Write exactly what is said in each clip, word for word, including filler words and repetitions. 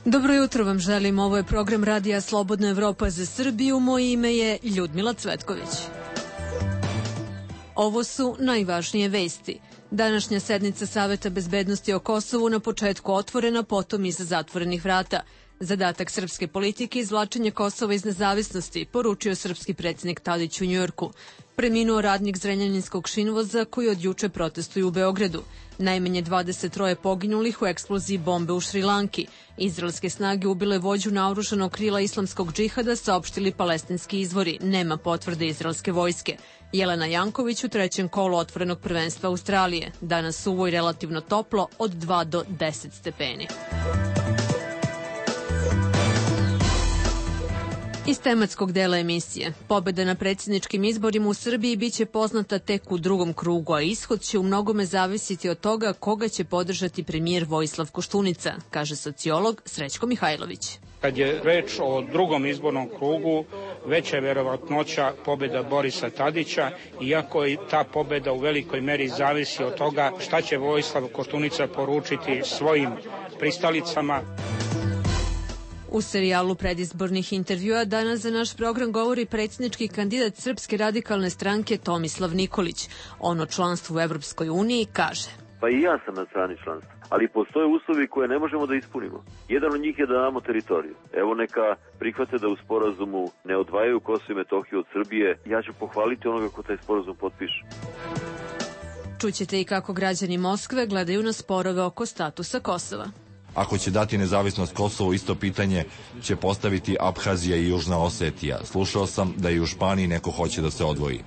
Dobro jutro vam želim, ovo je program Radija Slobodna Evropa za Srbiju, moje ime je Ljudmila Cvetković. Ovo su najvažnije vesti. Današnja sednica Saveta bezbednosti o Kosovu na početku otvorena, potom iza zatvorenih vrata. Zadatak srpske politike izvlačenje Kosova iz nezavisnosti, poručio srpski predsjednik Tadić u Njujorku. Preminuo radnik Zrenjaninskog šinvoza koji od juče protestuju u Beogradu. Najmanje dvadeset troje poginulih u eksploziji bombe u Šrilanki. Izraelske snage ubile vođu naoružanog krila islamskog džihada, saopštili palestinski izvori. Nema potvrde izraelske vojske. Jelena Janković u trećem kolu otvorenog prvenstva Australije. Danas suvo i relativno toplo od dva do deset stepeni. Iz tematskog dela emisije. Pobeda na predsjedničkim izborima u Srbiji biće poznata tek u drugom krugu, a ishod će u mnogome zavisiti od toga koga će podržati premijer Vojislav Koštunica, kaže sociolog Srećko Mihajlović. Kad je reč o drugom izbornom krugu, veća je verovatnoća pobjeda Borisa Tadića, iako i ta pobjeda u velikoj meri zavisi od toga šta će Vojislav Koštunica poručiti svojim pristalicama. U serijalu predizbornih intervjua danas za naš program govori predsjednički kandidat Srpske radikalne stranke Tomislav Nikolić. On o članstvu u Evropskoj uniji kaže: Pa i ja sam na strani članstva, ali postoje uslovi koje ne možemo da ispunimo. Jedan od njih je da damo teritoriju. Evo neka prihvate da u sporazumu ne odvajaju Kosovo i Metohiju od Srbije. Ja ću pohvaliti onoga ko taj sporazum potpiše. Čućete i kako građani Moskve gledaju na sporove oko statusa Kosova. Ako će dati nezavisnost Kosovo, isto pitanje će postaviti Abhazija i Južna Osetija. Slušao sam da i u Španiji neko hoće da se odvoji.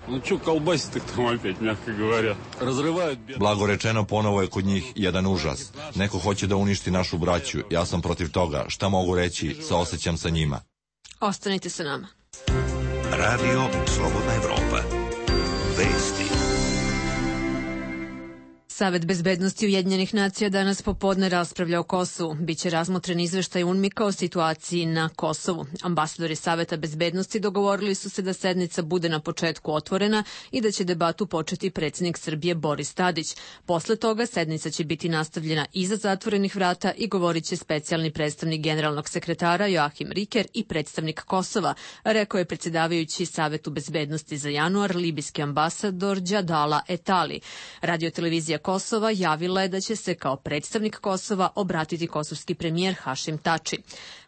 Blago rečeno, ponovo je kod njih jedan užas. Neko hoće da uništi našu braću. Ja sam protiv toga. Šta mogu reći? Saosećam sa njima. Ostanite sa nama. Radio Slobodna Evropa. Vesti. Savet bezbednosti Ujedinjenih nacija danas popodne raspravlja o Kosovu. Biće razmotren izveštaj UNMIK-a o situaciji na Kosovu. Ambasadori Saveta bezbednosti dogovorili su se da sednica bude na početku otvorena i da će debatu početi predsjednik Srbije Boris Tadić. Posle toga sednica će biti nastavljena iza zatvorenih vrata i govorit će specijalni predstavnik generalnog sekretara Joachim Riker i predstavnik Kosova, rekao je predsjedavajući Savetu bezbednosti za januar libijski ambasador Džadala Etali. Radiotelevizija Kosova javila je da će se kao predstavnik Kosova obratiti kosovski premijer Hašim Tači.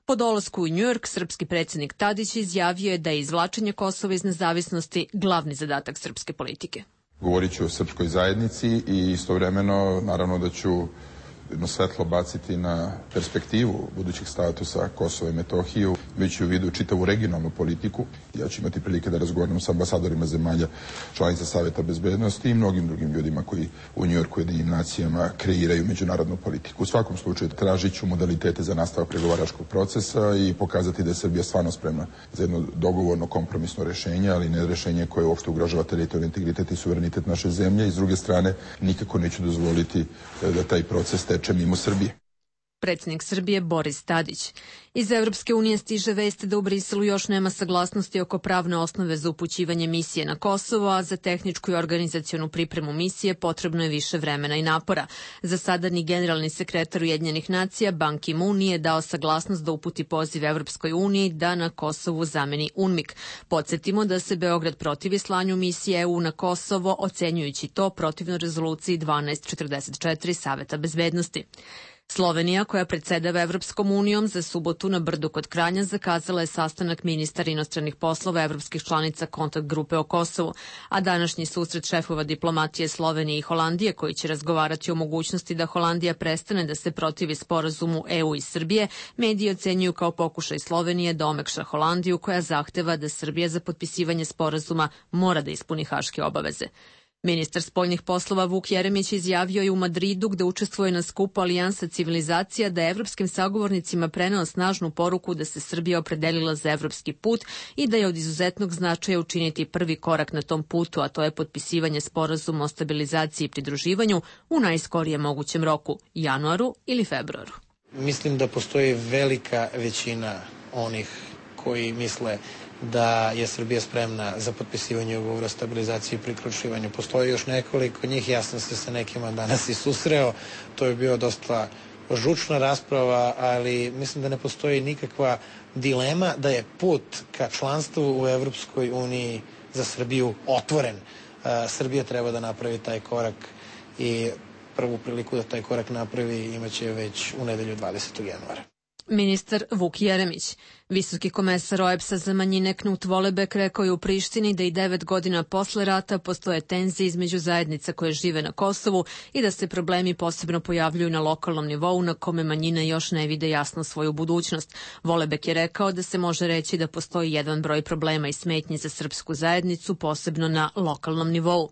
Po dolasku u Njujork, srpski predsjednik Tadić izjavio je da je izvlačenje Kosova iz nezavisnosti glavni zadatak srpske politike. Govorit ću o srpskoj zajednici i istovremeno naravno da ću jedno svetlo baciti na perspektivu budućeg statusa Kosova i Metohiju, već u vidu čitavu regionalnu politiku. Ja ću imati prilike da razgovaram sa ambasadorima zemalja članica Saveta bezbednosti i mnogim drugim ljudima koji u Njujorku i Ujedinjenim nacijama kreiraju međunarodnu politiku. U svakom slučaju tražit ću modalitete za nastavak pregovaračkog procesa i pokazati da je Srbija stvarno spremna za jedno dogovorno kompromisno rešenje, ali ne rešenje koje uopšte ugrožava teritorijalni integritet i suverenitet naše zemlje. I s druge strane, nikako neću dozvoliti da taj proces teče mimo Srbije. Predsjednik Srbije Boris Tadić. Iz Evropske unije stiže vest da u Briselu još nema saglasnosti oko pravne osnove za upućivanje misije na Kosovo, a za tehničku i organizacionu pripremu misije potrebno je više vremena i napora. Za sada ni generalni sekretar Ujedinjenih nacija Ban Ki-moon nije dao saglasnost da uputi poziv Evropskoj uniji da na Kosovu zameni UNMIK. Podsjetimo da se Beograd protivi slanju misije E U na Kosovo, ocenjujući to protivno rezoluciji dvanaest četrdeset četiri Saveta bezbednosti. Slovenija, koja predsjedava Evropskom unijom, za subotu na Brdu kod Kranja zakazala je sastanak ministara inostranih poslova evropskih članica kontakt grupe o Kosovu, a današnji susret šefova diplomatije Slovenije i Holandije, koji će razgovarati o mogućnosti da Holandija prestane da se protivi sporazumu E U i Srbije, mediji ocenjuju kao pokušaj Slovenije da omekša Holandiju, koja zahteva da Srbija za potpisivanje sporazuma mora da ispuni haške obaveze. Ministar spoljnih poslova Vuk Jeremić izjavio je u Madridu, gde učestvuje na skupu Alijansa civilizacija, da je evropskim sagovornicima preneo snažnu poruku da se Srbija opredelila za evropski put i da je od izuzetnog značaja učiniti prvi korak na tom putu, a to je potpisivanje sporazuma o stabilizaciji i pridruživanju u najskorijem mogućem roku, januaru ili februaru. Mislim da postoji velika većina onih koji misle da je Srbija spremna za potpisivanje ugovora o stabilizaciji i priključivanju. Postoji još nekoliko njih, ja sam se sa nekima danas i susreo, to je bio dosta žučna rasprava, ali mislim da ne postoji nikakva dilema da je put ka članstvu u Evropskoj uniji za Srbiju otvoren. Srbija treba da napravi taj korak i prvu priliku da taj korak napravi imaće već u nedelju dvadesetog januara. Ministar Vuk Jeremić. Visoki komesar O E B S-a za manjine Knut Volebek rekao je u Prištini da i devet godina posle rata postoje tenzije između zajednica koje žive na Kosovu i da se problemi posebno pojavljuju na lokalnom nivou na kome manjine još ne vide jasno svoju budućnost. Volebek je rekao da se može reći da postoji jedan broj problema i smetnji za srpsku zajednicu, posebno na lokalnom nivou.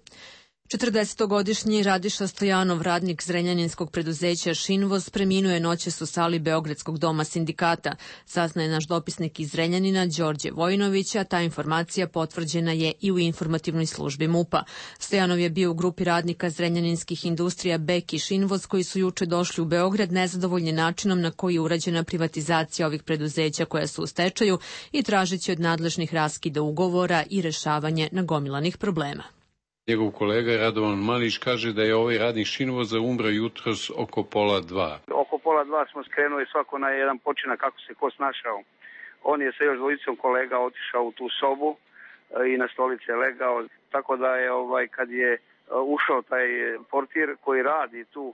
četrdesetogodišnji Radiša Stojanov, radnik zrenjaninskog preduzeća Šinvoz, preminuo je noćas u sali Beogradskog doma sindikata. Saznaje naš dopisnik iz Zrenjanina, Đorđe Vojinović, a ta informacija potvrđena je i u informativnoj službi MUP-a. Stojanov je bio u grupi radnika zrenjaninskih industrija Bek i Šinvoz koji su juče došli u Beograd nezadovoljni načinom na koji je urađena privatizacija ovih preduzeća koja su u stečaju i tražeći od nadležnih raskida ugovora i rešavanje nagomilanih problema. Njegov kolega Radovan Malić kaže da je ovaj radnik Šinvoza umro jutros oko pola dva. Oko pola dva smo skrenuli svako na jedan počinak kako se ko snašao. On je sa još dvojicom kolega otišao u tu sobu i na stolice legao. Tako da je ovaj kad je ušao taj portir koji radi tu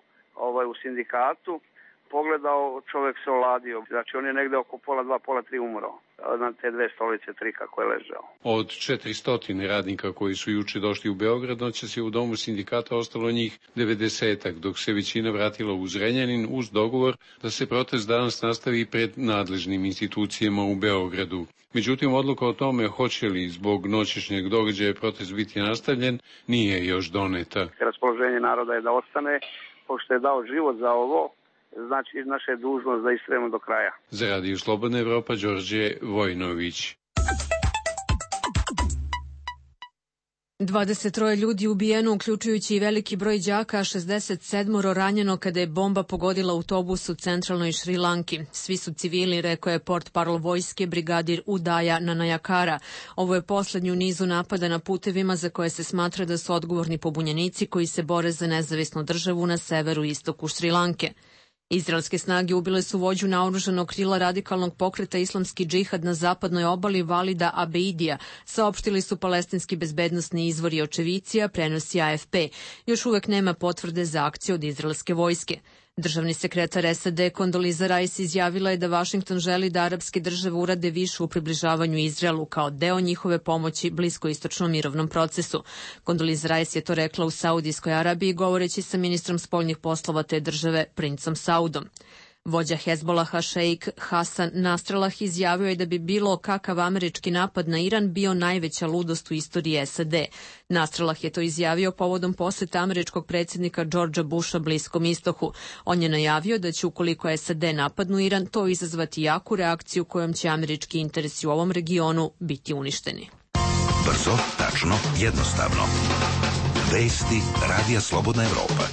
ovaj u sindikatu, pogledao, čovjek se oladio. Znači on je negde oko pola dva, pola tri umro na te dve stolice, tri kako je ležao. Od četiristo radnika koji su juče došli u Beograd, noćas je u domu sindikata ostalo njih devedesetak, dok se većina vratila u Zrenjanin uz dogovor da se protest danas nastavi pred nadležnim institucijama u Beogradu. Međutim, odluka o tome hoće li zbog noćešnjeg događaja protest biti nastavljen nije još doneta. Raspoloženje naroda je da ostane, pošto je dao život za ovo, znači naša je dužnost da istrajemo do kraja. Za Radio Slobodna Evropa, Đorđe Vojinović. dvadeset troje ljudi ubijeno, uključujući i veliki broj đaka, a šezdeset sedam ranjeno kada je bomba pogodila autobus u centralnoj Šrilanki. Svi su civili, rekao je portparol vojske brigadir Udaja Nanajakara. Ovo je poslednji u nizu napada na putevima za koje se smatra da su odgovorni pobunjenici koji se bore za nezavisnu državu na severu i istoku Šrilanke. Izraelske snage ubile su vođu naoružanog krila radikalnog pokreta Islamski džihad na zapadnoj obali Valida Abeidija, saopštili su palestinski bezbednosni izvori očevicija, prenosi A F P. Još uvek nema potvrde za akciju od izraelske vojske. Državni sekretar S A D Kondoliza Rice izjavila je da Vašington želi da arapske države urade više u približavanju Izraelu kao deo njihove pomoći bliskoistočnom mirovnom procesu. Kondoliza Rice je to rekla u Saudijskoj Arabiji govoreći sa ministrom spoljnih poslova te države, princom Saudom. Vođa Hezbolaha šeik Hasan Nasrallah izjavio je da bi bilo kakav američki napad na Iran bio najveća ludost u istoriji S A D. Nasrallah je to izjavio povodom poseta američkog predsjednika Georgea Busha Bliskom istoku. On je najavio da će ukoliko S A D napadnu Iran, to izazvati jaku reakciju kojom će američki interesi u ovom regionu biti uništeni. Brzo, tačno, jednostavno. Vesti Radija Slobodna Evropa.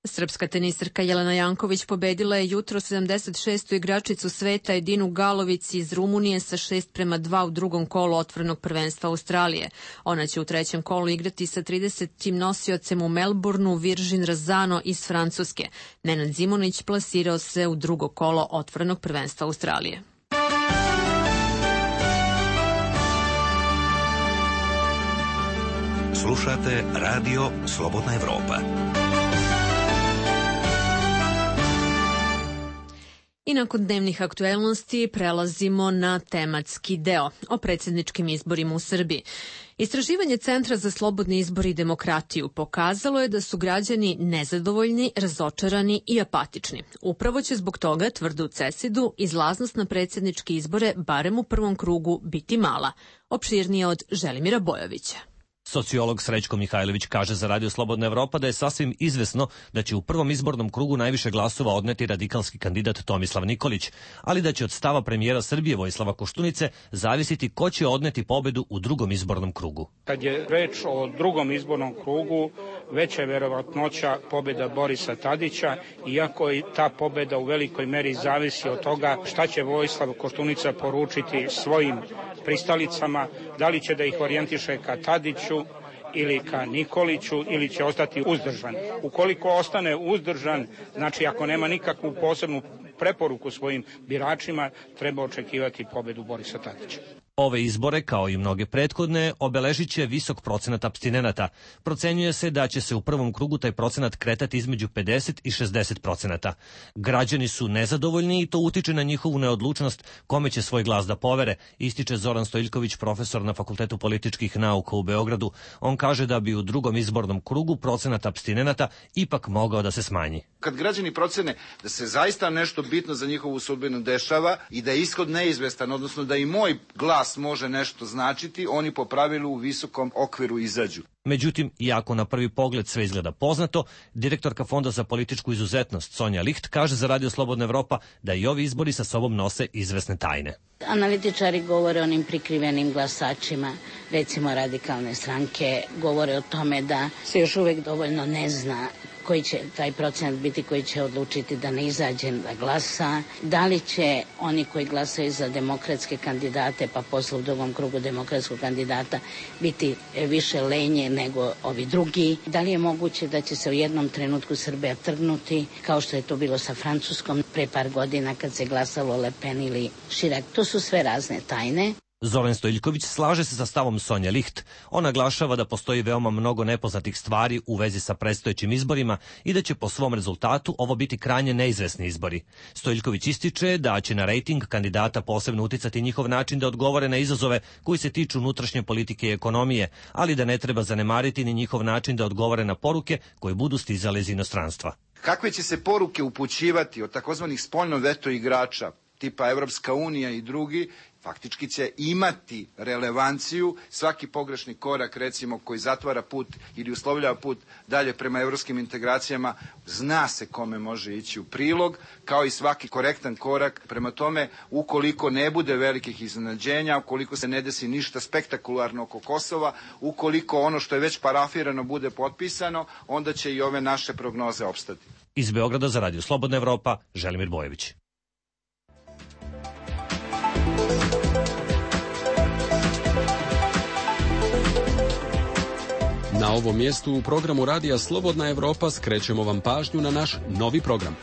Srpska tenisarka Jelena Janković pobedila je jutro sedamdeset šestu igračicu sveta Edinu Galović iz Rumunije sa šest prema dva u drugom kolu otvorenog prvenstva Australije. Ona će u trećem kolu igrati sa tridesetim nosiocem u Melbourneu Virgin Razano iz Francuske. Nenad Zimunić plasirao se u drugo kolo otvorenog prvenstva Australije. Slušate Radio Slobodna Evropa. I nakon dnevnih aktuelnosti prelazimo na tematski deo o predsjedničkim izborima u Srbiji. Istraživanje Centra za slobodni izbor i demokratiju pokazalo je da su građani nezadovoljni, razočarani i apatični. Upravo će zbog toga, tvrde u CESID-u, izlaznost na predsjedničke izbore barem u prvom krugu biti mala. Opširnije od Želimira Bojovića. Sociolog Srećko Mihajlović kaže za Radio Slobodna Evropa da je sasvim izvesno da će u prvom izbornom krugu najviše glasova odneti radikalski kandidat Tomislav Nikolić, ali da će od stava premijera Srbije Vojislava Koštunice zavisiti ko će odneti pobedu u drugom izbornom krugu. Kad je reč o drugom izbornom krugu, veća je verovatnoća pobeda Borisa Tadića, iako i ta pobeda u velikoj meri zavisi od toga šta će Vojislav Koštunica poručiti svojim pristalicama, da li će da ih orijentiše ka Tadiću ili ka Nikoliću ili će ostati uzdržan. Ukoliko ostane uzdržan, znači ako nema nikakvu posebnu preporuku svojim biračima, treba očekivati pobedu Borisa Tadića. Ove izbore, kao i mnoge prethodne, obeležit će visok procenat apstinenata. Procenjuje se da će se u prvom krugu taj procenat kretati između pedeset i šezdeset procenata. Građani su nezadovoljni i to utiče na njihovu neodlučnost kome će svoj glas da povere, ističe Zoran Stojiljković, profesor na Fakultetu političkih nauka u Beogradu. On kaže da bi u drugom izbornom krugu procenat apstinenata ipak mogao da se smanji. Kad građani procene da se zaista nešto bitno za njihovu sudbinu dešava i da je ishod neizvestan, odnosno da i moj glas može nešto značiti, oni po pravilu u visokom okviru izađu. Međutim, iako na prvi pogled sve izgleda poznato, direktorka Fonda za političku izuzetnost Sonja Licht kaže za Radio Slobodna Evropa da i ovi izbori sa sobom nose izvesne tajne. Analitičari govore o onim prikrivenim glasačima, recimo radikalne stranke, govore o tome da se još uvek dovoljno ne zna koji će taj procenat biti koji će odlučiti da ne izađe da glasa, da li će oni koji glasaju za demokratske kandidate, pa posle u drugom krugu demokratskog kandidata biti više lenje nego ovi drugi, da li je moguće da će se u jednom trenutku Srbija trgnuti, kao što je to bilo sa Francuskom pre par godina kad se glasalo Le Pen ili Chirac. To su sve razne tajne. Zoran Stojiljković slaže se sa stavom Sonja Licht. On naglašava da postoji veoma mnogo nepoznatih stvari u vezi sa predstojećim izborima i da će po svom rezultatu ovo biti krajnje neizvesni izbori. Stojiljković ističe da će na rejting kandidata posebno uticati njihov način da odgovore na izazove koji se tiču unutrašnje politike i ekonomije, ali da ne treba zanemariti ni njihov način da odgovore na poruke koje budu stizale iz inostranstva. Kakve će se poruke upućivati od takozvanih spoljno veto igrača, tipa Evropska unija i drugi, faktički će imati relevanciju. Svaki pogrešni korak, recimo, koji zatvara put ili uslovljava put dalje prema evropskim integracijama, zna se kome može ići u prilog, kao i svaki korektan korak. Prema tome, ukoliko ne bude velikih iznenađenja, ukoliko se ne desi ništa spektakularno oko Kosova, ukoliko ono što je već parafirano bude potpisano, onda će i ove naše prognoze opstati. Iz Beograda za Radio Slobodna Evropa, Želimir Bojević. Na ovom mjestu u programu Radija Slobodna Evropa skrećemo vam pažnju na naš novi program.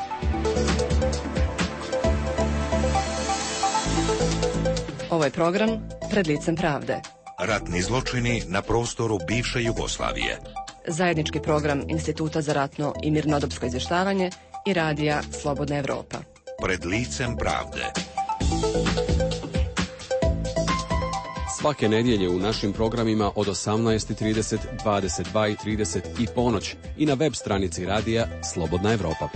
Ovo je program Pred licem pravde. Ratni zločini na prostoru bivše Jugoslavije. Zajednički program Instituta za ratno i mirnodopsko izvještavanje i Radija Slobodna Evropa. Pred licem pravde. Svake nedjelje u našim programima od osamnaest i trideset, dvadeset dva i trideset i ponoć i na web stranici Radija Slobodna Evropa.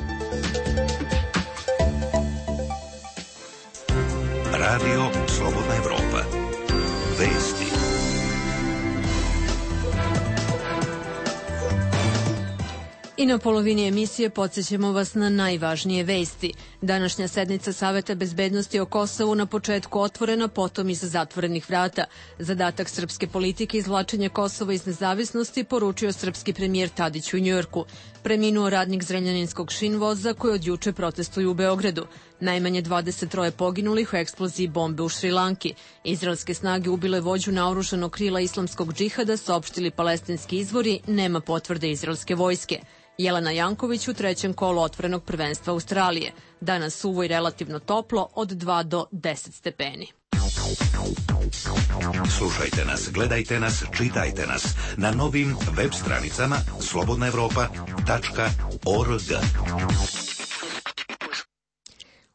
Radio Slobodna Evropa. Vesti. I na polovini emisije podsjećamo vas na najvažnije vesti. Današnja sednica Saveta bezbednosti o Kosovu na početku otvorena, potom iz zatvorenih vrata. Zadatak srpske politike izvlačenja Kosova iz nezavisnosti poručio srpski premijer Tadić u Njujorku. Preminuo radnik zrenjaninskog šinvoza koji od juče protestuju u Beogradu. Najmanje dvadeset troje poginulih u eksploziji bombe u Šrilanki. Izraelske snage ubile vođu naoružanog krila islamskog džihada, saopštili palestinski izvori, nema potvrde izraelske vojske. Jelena Janković u trećem kolu otvorenog prvenstva Australije. Danas suvo i relativno toplo od dva do deset stepeni. Slušajte nas, gledajte nas, čitajte nas na novim web stranicama slobodna evropa tačka org.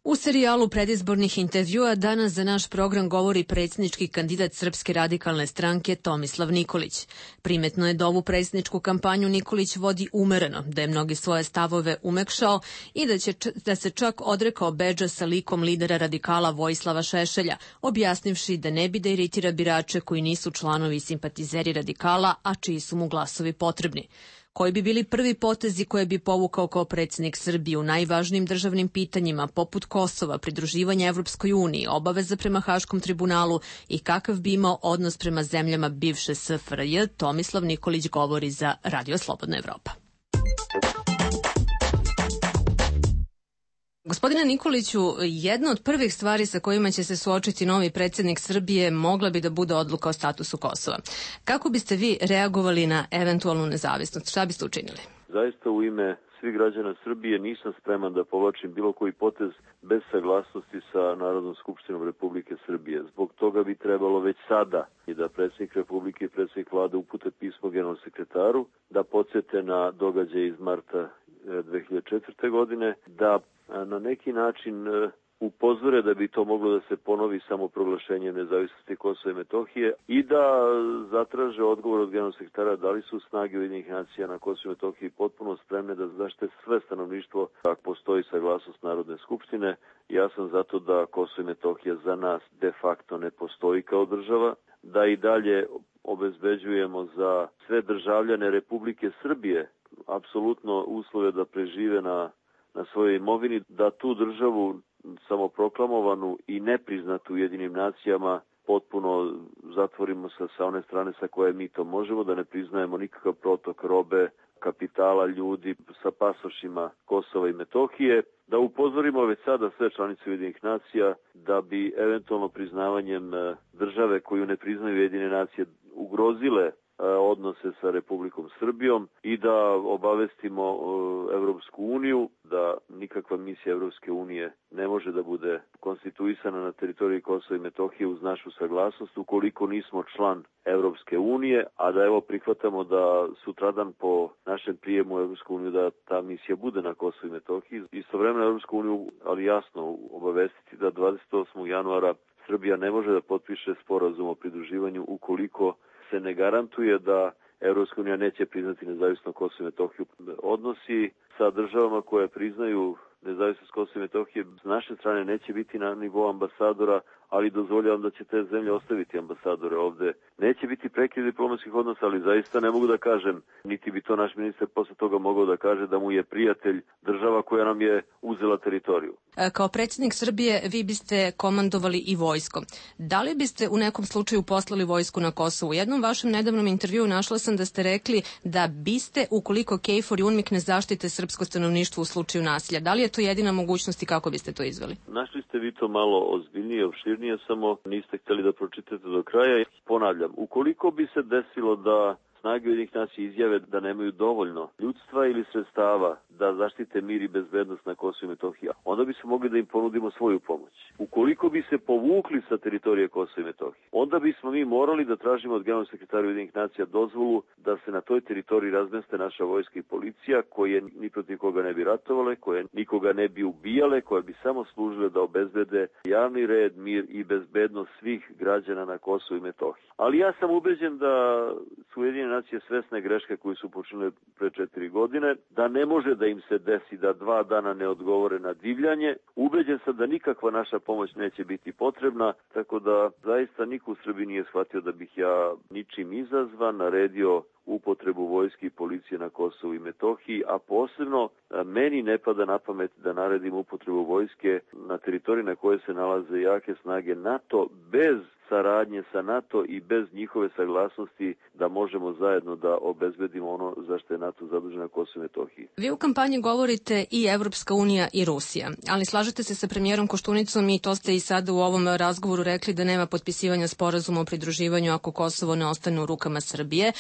U serijalu predizbornih intervjua danas za naš program govori predsjednički kandidat Srpske radikalne stranke Tomislav Nikolić. Primetno je da ovu predsjedničku kampanju Nikolić vodi umereno, da je mnogi svoje stavove umekšao i da, će, da se čak odrekao bedža sa likom lidera radikala Vojislava Šešelja, objasnivši da ne bi da iritira birače koji nisu članovi i simpatizeri radikala, a čiji su mu glasovi potrebni. Koji bi bili prvi potezi koje bi povukao kao predsjednik Srbije u najvažnijim državnim pitanjima poput Kosova, pridruživanja Evropskoj uniji, obaveza prema Haškom tribunalu i kakav bi imao odnos prema zemljama bivše S F R J, Tomislav Nikolić govori za Radio Slobodna Evropa. Gospodine Nikoliću, jedna od prvih stvari sa kojima će se suočiti novi predsjednik Srbije mogla bi da bude odluka o statusu Kosova. Kako biste vi reagovali na eventualnu nezavisnost? Šta biste učinili? Zaista u ime svih građana Srbije nisam spreman da povlačim bilo koji potez bez saglasnosti sa Narodnom skupštinom Republike Srbije. Zbog toga bi trebalo već sada i da predsjednik Republike i predsjednik vlade upute pismo generalnom sekretaru, da podsjete na događaje iz marta dve hiljade četvrte. godine, da na neki način upozore da bi to moglo da se ponovi samo proglašenjem nezavisnosti Kosova i Metohije i da zatraže odgovor od generalnog sekretara da li su snage Ujedinjenih nacija na Kosovu i Metohiji potpuno spremne da zaštite sve stanovništvo ako postoji saglasnost Narodne skupštine. Ja sam zato da Kosovo i Metohija za nas de facto ne postoji kao država, da i dalje obezbeđujemo za sve državljane Republike Srbije apsolutno uslove da prežive na na svojoj imovini, da tu državu samoproklamovanu i nepriznatu Ujedinim nacijama potpuno zatvorimo sa, sa one strane sa koje mi to možemo, da ne priznajemo nikakav protok robe, kapitala, ljudi sa pasošima Kosova i Metohije, da upozorimo već sada sve članice Ujedinih nacija da bi eventualno priznavanjem države koju ne priznaju Ujedinjene nacije ugrozile odnose sa Republikom Srbijom i da obavestimo Evropsku uniju da nikakva misija Evropske unije ne može da bude konstituisana na teritoriji Kosova i Metohije uz našu saglasnost ukoliko nismo član Evropske unije, a da evo prihvatamo da sutradan po našem prijemu u Evropsku uniju da ta misija bude na Kosovu i Metohiji. Istovremeno Evropsku uniju, ali jasno obavestiti da dvadeset osmog januara Srbija ne može da potpiše sporazum o pridruživanju ukoliko se ne garantuje da Evropska unija neće priznati nezavisno Kosovo i Metohiju. Odnosi sa državama koje priznaju nezavisnost Kosova i Metohije s naše strane neće biti na nivou ambasadora, ali dozvoljavam da će te zemlje ostaviti ambasadore ovde. Neće biti prekid diplomatskih odnosa, ali zaista ne mogu da kažem, niti bi to naš ministar posle toga mogao da kaže da mu je prijatelj država koja nam je uzela teritoriju. Kao predsjednik Srbije vi biste komandovali i vojskom. Da li biste u nekom slučaju poslali vojsku na Kosovo? U jednom vašem nedavnom intervjuu našla sam da ste rekli da biste, ukoliko KFOR i UNMIK ne zaštite srpsko stanovništvo u slučaju nasilja. Da li je to jedina mogućnost i kako biste to izveli? Našli ste vi to malo ozbiljnije, opširnije, samo niste htjeli da pročitate do kraja. Ponavljam, ukoliko bi se desilo da snage Ujedinjenih nacija izjave da nemaju dovoljno ljudstva ili sredstava da zaštite mir i bezbednost na Kosovu i Metohiji, onda bi se mogli da im ponudimo svoju pomoć. Ukoliko bi se povukli sa teritorije Kosova i Metohije, onda bismo mi morali da tražimo od generalnog sekretara Ujedinjenih nacija dozvolu da se na toj teritoriji razmeste naša vojska i policija, koje ni protiv koga ne bi ratovale, koje nikoga ne bi ubijale, koje bi samo služile da obezbede javni red, mir i bezbednost svih građana na Kosovu i Metohiji. Ali ja sam ubeđen da su Ujedinjene nacije svesne greške koje su počinile pre četiri godine, da ne može da im se desi da dva dana ne odgovore na divljanje. Ubeđen sam da nikakva naša pomoć neće biti potrebna, tako da zaista niko u Srbiji nije shvatio da bih ja ničim izazvan naredio upotrebu vojske i policije na Kosovu i Metohiji, a posebno meni ne pada na pamet da naredim upotrebu vojske na teritoriji na kojoj se nalaze jake snage NATO bez saradnje sa NATO i bez njihove saglasnosti da možemo zajedno da obezbedimo ono za što je NATO zadužen na Kosovu i Metohiji. Vi u kampanji govorite i Evropska unija i Rusija, ali slažete se sa premijerom Koštunicom i to ste i sada u ovom razgovoru rekli da nema potpisivanja sporazuma o pridruživanju ako Kosovo ne ostane u rukama Srbije.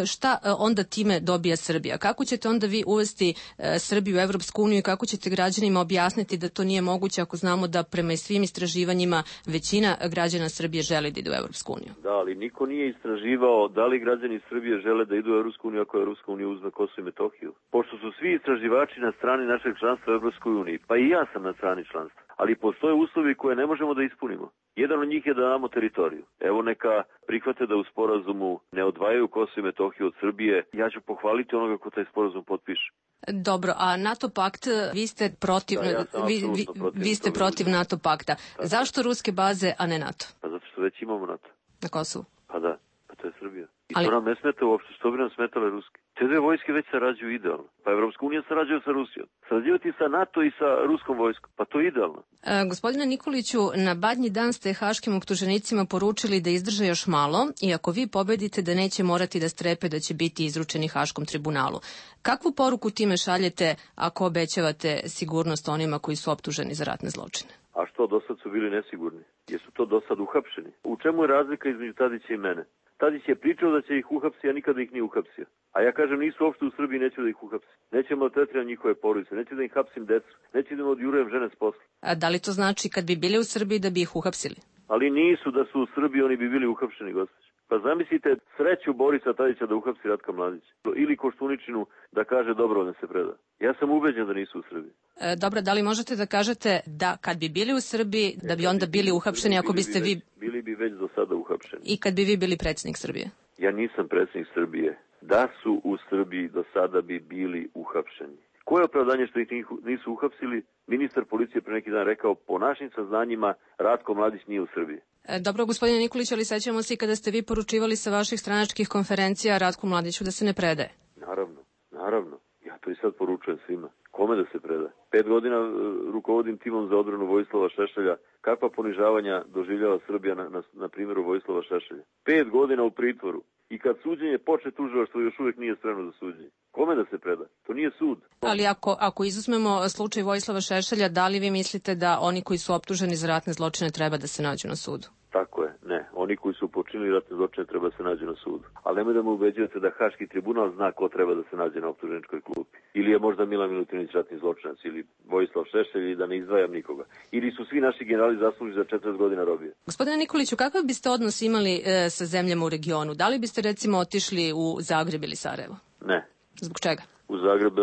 Šta onda time dobija Srbija? Kako ćete onda vi uvesti Srbiju u Evropsku uniju i kako ćete građanima objasniti da to nije moguće ako znamo da prema svim istraživanjima većina građana Srbije želi da idu u Evropsku uniju? Da, ali niko nije istraživao da li građani Srbije žele da idu u Evropsku uniju ako Evropska unija uzme Kosovo i Metohiju. Pošto su svi istraživači na strani našeg članstva u Evropskoj uniji, pa i ja sam na strani članstva, ali postoje uslovi koje ne možemo da ispunimo. Jedan od njih je da damo teritoriju. Evo neka prihvate da u sporazumu ne odvajaju Kosovo i Metohiju od Srbije. Ja ću pohvaliti onoga ko taj sporazum potpiše. Dobro, a NATO pakt, vi ste protiv, da, ja vi, vi, protiv, vi ste protiv NATO pakta. Da. Zašto ruske baze, a ne NATO? Pa zato što već imamo NATO. Na Kosovu? Pa da, pa to je Srbija. I Ali... to nam ne smeta uopšte, što bi nam smetale ruske. Te dve vojske već sarađuju idealno. Pa Evropska unija sarađuje sa Rusijom. Sarađivati sa NATO i sa ruskom vojskom. Pa to je idealno. E, gospodine Nikoliću, na badnji dan ste haškim optuženicima poručili da izdrže još malo i ako vi pobedite da neće morati da strepe da će biti izručeni Haškom tribunalu. Kakvu poruku time šaljete ako obećavate sigurnost onima koji su optuženi za ratne zločine? A što, do sad su bili nesigurni? Jesu to do sad uhapšeni? U čemu je razlika između Tadića i mene? Tadić je pričao da će ih uhapsiti, a nikada ih nije uhapsio. A ja kažem, nisu uopšte u Srbiji, neću da ih uhapsim. Nećemo maltretirati njihove porodice, neću da ih hapsim decu, neću da im odjurujem žene s posla. A da li to znači kad bi bili u Srbiji da bi ih uhapsili? Ali nisu, da su u Srbiji, oni bi bili uhapšeni, gospođe. Pa zamislite sreću Borisa Tadića da uhapsi Ratka Mladića. Ili Koštuničinu da kaže dobro da se preda. Ja sam ubeđen da nisu u Srbiji. E, dobro, da li možete da kažete da kad bi bili u Srbiji, da bi onda bili uhapšeni ako biste vi... Bili bi već do sada uhapšeni. I kad bi vi bili predsjednik Srbije? Ja nisam predsjednik Srbije. Da su u Srbiji do sada bi bili uhapšeni. Koje je opravdanje što ih nisu uhapsili? Ministar policije pre neki dan rekao, po našim saznanjima Ratko Mladić nije u Srbiji. E, dobro, gospodine Nikolić, ali sećamo se i kada ste vi poručivali sa vaših stranačkih konferencija Ratku Mladiću da se ne predaje. Naravno, naravno. Ja to i sad poručujem svima. Kome da se preda? Pet godina uh, rukovodim timom za odbranu Vojislava Šešelja. Kakva ponižavanja doživljava Srbija na, na, na primjeru Vojislava Šešelja? Pet godina u pritvoru. I kad suđenje počne, tužilaštvo još uvijek nije spremno za suđenje. Kome da se preda? To nije sud. Ali ako, ako izuzmemo slučaj Vojislava Šešelja, da li vi mislite da oni koji su optuženi za ratne zločine treba da se nađu na sudu? Tako je, ne. Oni koji su počinili ratne zločine treba da se nađu na sudu. Ali nemoj da me ubeđujete da Haški tribunal zna ko treba da se nađe na optuženičkoj klupi. Ili je možda Milan Milutinović ratni zločinac, ili Vojislav Šešelj, ili da ne izdvajam nikoga. Ili su svi naši generali zaslužili za četrdeset godina robije. Gospodine Nikoliću, kakav biste odnos imali e, sa zemljama u regionu? Da li biste recimo otišli u Zagreb ili Sarajevo? Ne. Zbog čega? U Zagreb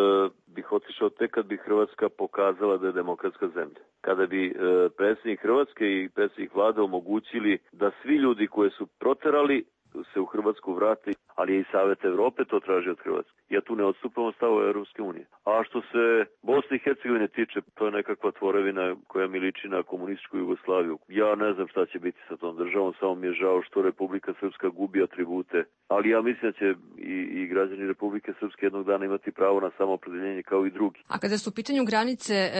bih otišao tek kad bi Hrvatska pokazala da je demokratska zemlja. Kada bi e, predsjednik Hrvatske i predsjednik vlade omogućili da svi ljudi koje su proterali se u Hrvatsku vrati, ali je i Savet Evrope to traži od Hrvatske. Ja tu ne odstupam stavove Europske unije. A što se Bosne i Hercegovine tiče, to je nekakva tvorevina koja mi liči na komunističku Jugoslaviju. Ja ne znam šta će biti sa tom državom, samo mi je žao što Republika Srpska gubi atribute, ali ja mislim da će i, i građani Republike Srpske jednog dana imati pravo na samoopredeljenje kao i drugi. A kada su u pitanju granice e,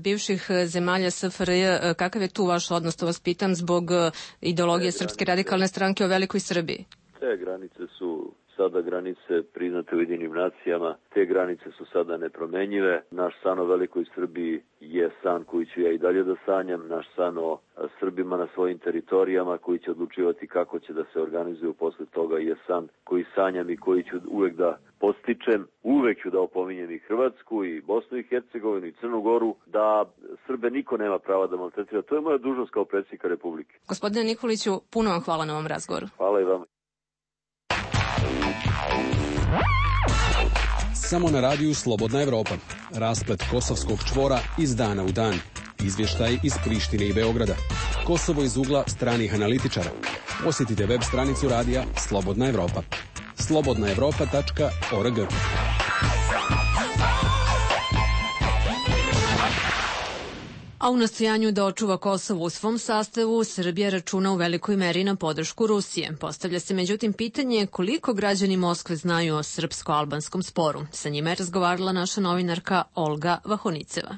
bivših zemalja S F R J, e, kakav je tu vaš odnos, to vas pitam zbog e, ideologije e, Srpske radikalne stranke o velikoj Srbiji? Te granice su sada granice priznate Ujedinjenim nacijama, te granice su sada nepromenjive. Naš san o velikoj Srbiji je san koji ću ja i dalje da sanjam, naš san o Srbima na svojim teritorijama koji će odlučivati kako će da se organizuju posle toga je san koji sanjam i koji ću uvek da postičem. Uvek ću da opominjem i Hrvatsku i Bosnu i Hercegovinu i Crnu Goru da Srbe niko nema prava da maltretira. To je moja dužnost kao predsjednika Republike. Gospodine Nikoliću, puno vam hvala na ovom razgovoru. Hvala i vama. Samo na radiju Slobodna Evropa. Rasplet kosovskog čvora iz dana u dan. Izvještaj iz Prištine i Beograda. Kosovo iz ugla stranih analitičara. Posjetite web stranicu radija Slobodna Evropa. slobodna evropa tačka org. A u nastojanju da očuva Kosovo u svom sastavu, Srbija računa u velikoj meri na podršku Rusije. Postavlja se međutim pitanje koliko građani Moskve znaju o srpsko-albanskom sporu. Sa njima je razgovarala naša novinarka Olga Vahoniceva.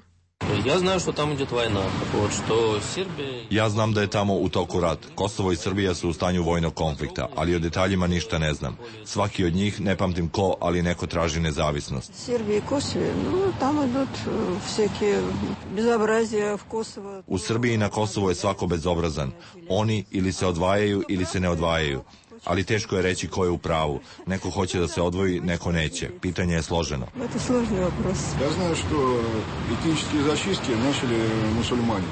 Ja znam što tamo ide vojna, što Srbije... Ja znam da je tamo u toku rat. Kosovo i Srbija su u stanju vojnog konflikta, ali o detaljima ništa ne znam. Svaki od njih, ne pamtim ko, ali neko traži nezavisnost. Srbija i Kosovo, no, tamo idut всеки безобразия в Kosovo. U Srbiji i na Kosovo je svako bezobrazan. Oni ili se odvajaju ili se ne odvajaju. Ali teško je reći ko je u pravu. Neko hoće da se odvoji, neko neće. Pitanje je složeno. To je složeni вопрос. Ja znam što etničke zaštitke načeli muslimani.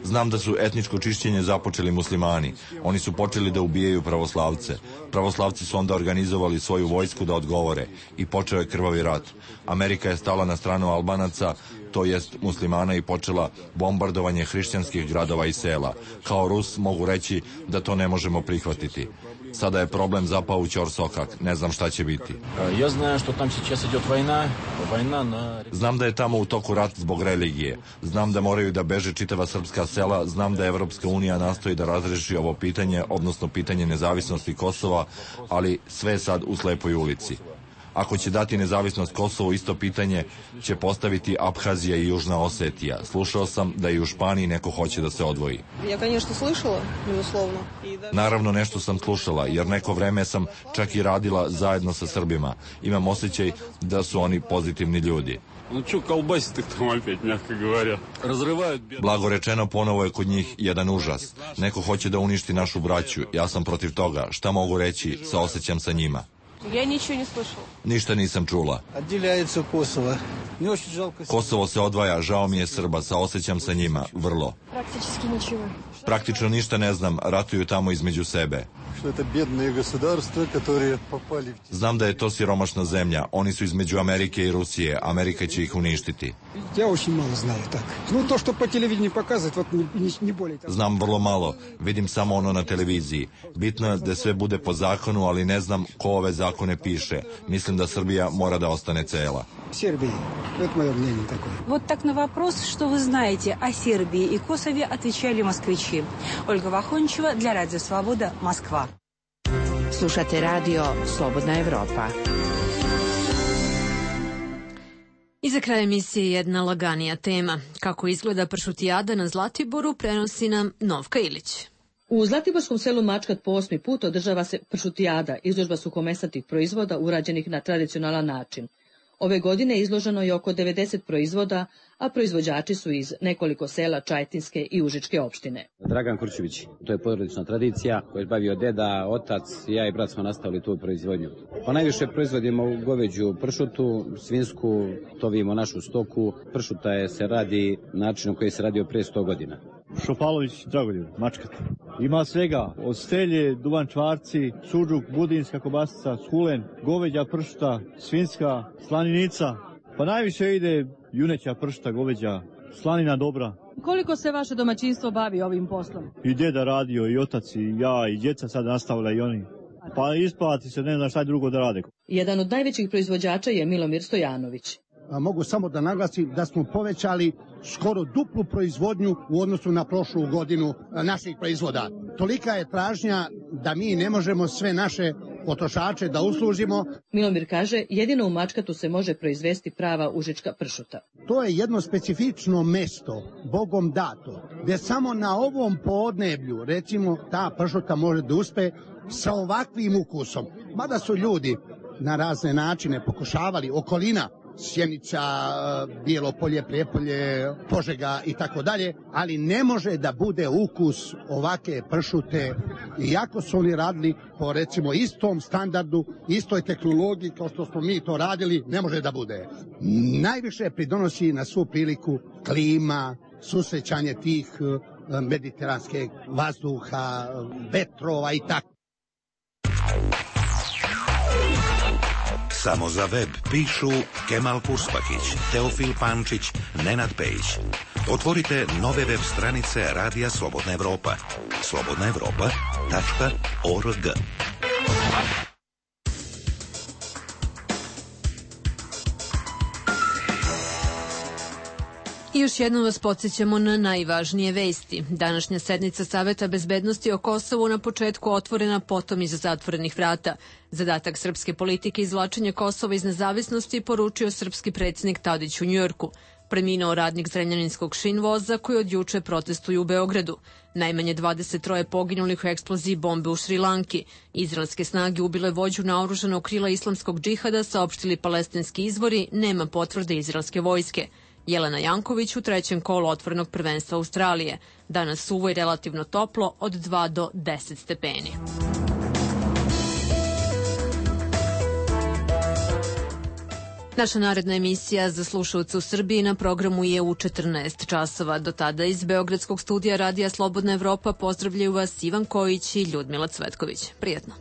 Znam da su etničko čišćenje započeli muslimani. Oni su počeli da ubijaju pravoslavce. Pravoslavci su onda organizovali svoju vojsku da odgovore. I počeo je krvavi rat. Amerika je stala na stranu Albanaca, to jest muslimana, i počela bombardovanje hrišćanskih gradova i sela. Kao Rus mogu reći da to ne možemo prihvatiti. Sada je problem zapao u ćorsokak. Ne znam šta će biti. Ja znam što tam сейчас идет война, война на... Znam da je tamo u toku rat zbog religije. Znam da moraju da beže čitava srpska sela. Znam da Evropska unija nastoji da razreši ovo pitanje, odnosno pitanje nezavisnosti Kosova, ali sve je sad u slepoj ulici. Ako će dati nezavisnost Kosovu, isto pitanje će postaviti Abhazija i Južna Osetija. Slušao sam da i u Španiji neko hoće da se odvoji. Ja, конечно, слышала, безусловно. Naravno, nešto sam slušala, jer neko vreme sam čak i radila zajedno sa Srbima. Imam osjećaj da su oni pozitivni ljudi. Ну что, колбасит их там опять, мягко говоря. Разрывают... Blago rečeno, ponovo je kod njih jedan užas. Neko hoće da uništi našu braću. Ja sam protiv toga. Šta mogu reći? Saosećam sa njima. Я ничего не слышала. Ništa nisam čula. Отделяется Kosovo. Мне очень жалко. Kosovo se odvaja, žao mi je Srba, saosećam sa njima, vrlo. Практически ничего. Praktično ništa ne znam, ratuju tamo između sebe. Что это бедные государства, которые попали... Znam da je to siromašna zemlja, oni su između Amerike i Rusije, Amerika će ih uništiti. Я очень мало знаю так. Ну, то, что по телевидению показывают, вот не, не, не более того. Znam vrlo malo, vidim samo ono na televiziji. Bitno je da sve bude po zakonu, ali ne znam ko ove zakone piše. Mislim da Srbija mora da ostane cela. Сербии. Это мое мнение такое. Вот так на вопрос, что вы знаете о Сербии и Косове, отвечали москвичи. Ольга Вахончева для Радио Свобода, Москва. Slušate radio Slobodna Evropa. I za kraj emisije jedna laganija tema. Kako izgleda pršutijada na Zlatiboru, prenosi nam Novka Ilić. U Zlatiborskom selu Mačkat po osmi put održava se pršutijada, izložba suhomesnatih proizvoda urađenih na tradicionalan način. Ove godine izloženo je oko devedeset proizvoda, a proizvođači su iz nekoliko sela Čajetinske i Užičke opštine. Dragan Kurčević, to je porodična tradicija koju je bavio deda, otac, ja i brat smo nastavili tu proizvodnju. Pa najviše proizvodimo goveđu pršutu, svinsku, tovimo našu stoku. Pršuta je, se radi načinom koji se radio pre sto godina. Šopalović Dragoljub, Mačkat. Ima svega, od stelje, duvan čvarci, suđuk, budinska kobasica, skulen, goveđa pršuta, svinska, slaninica. Pa najviše ide juneća pršuta, goveđa, slanina dobra. Koliko se vaše domaćinstvo bavi ovim poslom? I deda radio, i otac, i ja, i djeca sad nastavila i oni. Pa isplati se, ne znam šta drugo da rade. Jedan od najvećih proizvođača je Milomir Stojanović. Mogu samo da naglasim da smo povećali skoro duplu proizvodnju u odnosu na prošlu godinu naših proizvoda. Tolika je tražnja da mi ne možemo sve naše potrošače da uslužimo. Milomir kaže, jedino u Mačkatu se može proizvesti prava užička pršuta. To je jedno specifično mesto, Bogom dato, gde samo na ovom podneblju, recimo, ta pršuta može da uspe sa ovakvim ukusom. Mada su ljudi na razne načine pokušavali, okolina, Sjenica, Bijelo polje, Prijepolje, Požega i tako dalje, ali ne može da bude ukus ovake pršute, iako su oni radili po recimo istom standardu, istoj tehnologiji kao što smo mi to radili, ne može da bude. Najviše pridonosi na svu priliku klima, susrećanje tih mediteranske vazduha, vetrova i tako. Samo za web pišu Kemal Purspakić, Teofil Pančić, Nenad Pejić. Otvorite nove web stranice Radija Slobodna Evropa. slobodna evropa tačka org. I još jednom vas podsjećamo na najvažnije vesti. Današnja sednica Saveta bezbednosti o Kosovu na početku otvorena, potom iza zatvorenih vrata. Zadatak srpske politike izvlačenja Kosova iz nezavisnosti poručio srpski predsjednik Tadić u Njujorku. Preminuo radnik zrenjaninskog šinvoza koji od juče protestuju u Beogradu. Najmanje dvadeset troje poginulih u eksploziji bombe u Šrilanki. Izraelske snage ubile vođu naoružanog krila islamskog džihada, saopštili palestinski izvori, nema potvrde izraelske vojske. Jelena Janković u trećem kolu otvorenog prvenstva Australije. Danas suvo i relativno toplo od dva do deset stepeni. Naša naredna emisija za slušalce u Srbiji na programu je u četrnaest časova. Do tada iz Beogradskog studija Radija Slobodna Evropa pozdravljaju vas Ivan Kojić i Ljudmila Cvetković. Prijetno.